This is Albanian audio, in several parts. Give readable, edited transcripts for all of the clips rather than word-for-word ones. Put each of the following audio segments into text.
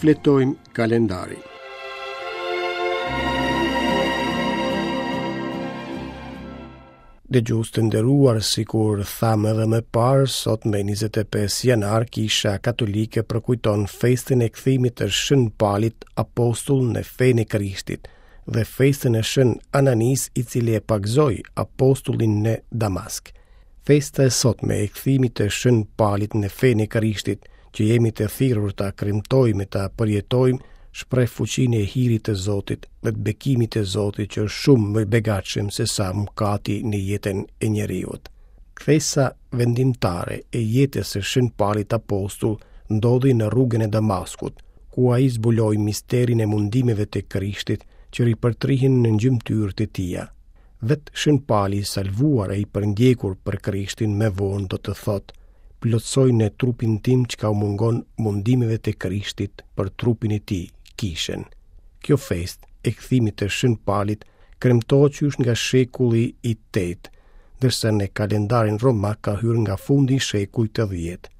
Shfletojmë kalendarin. Dëgjues të nderuar, sikur thamë edhe më parë, sot me 25 janar, Kisha Katolike përkujton festën e kthimit të Shën Palit apostull në fenë e Krishtit dhe festën e Shën Ananisë i cili e pagëzoi apostullin në Damask. Festa e sotme e kthimit të Shën Palit në fenë e Krishtit, që jemi të thirrur ta kremtojmë e ta përjetojmë, shpreh fuqinë e hirit të Zotit dhe të bekimit të Zotit që është shumë më i begatshëm se sa mëkati në jetën e njeriut. Kthesa vendimtare e jetës së Shën Palit Apostull ndodhi në rrugën e Damaskut, ku ai zbuloi misterin e mundimeve të Krishtit që ripërtrihen në gjymtyrët e tija. Vetë Shën Pali i salvuar e i përndjekur për Krishtin më vonë do të thotë, plotësoj në trupin tim çka u mungon mundimeve të Krishtit për trupin e tij, kishën. Kjo festë e kthimit të Shën Palit kremtohet qysh nga shekulli i 8, ndërsa në kalendarin romak ka hyrë nga fundi i shekullit të 10.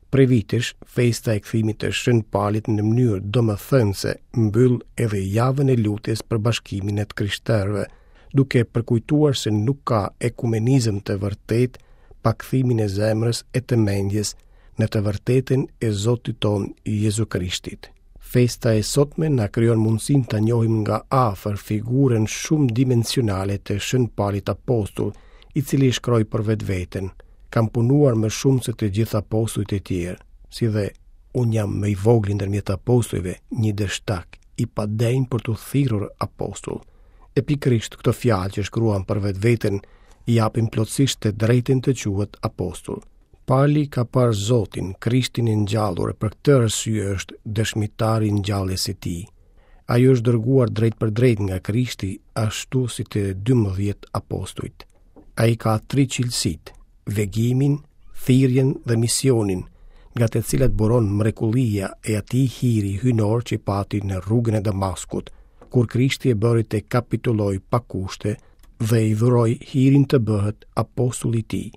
Prej vitesh, festa e kthimit të Shën Palit në mënyrë domethënëse mbyll edhe javën e lutjes për bashkimin e të krishterëve, duke përkujtuar se nuk ka ekumenizëm të vërtetë pa kthimin e zemrës e të mendjes në të vërtetën e Zotit tonë Jezu Krishtit. Festa e sotme na krijon mundësinë ta njohim nga afër figurën shumëdimensionale të Shën Palit Apostull, i cili shkroi për vetveten: Kam punuar më shumë se të gjithë apostujt e tjerë, si dhe unë jam më i vogli ndërmjet apostujve, një dështak, i padenjë për t'u thirrur apostull. E pikërisht këto fjalë që shkruan për vetveten i japin plotësisht të drejtën të quhet apostull. Pali ka parë Zotin, Krishtin e ngjallur e për këtë arsye është dëshmitar i ngjalljes së tij. Ai është dërguar drejtpërdrejt nga Krishti, ashtu si të 12 apostujt. Ai ka tri cilësitë, vegimin, thirrjen dhe misionin, nga të cilat buron mrekullia e atij hiri hyjnor që pati në rrugën e Damaskut, kur Krishti e bëri të kapitullojë pa kushte dhe i dhuroi hirin të bëhet apostull i tij.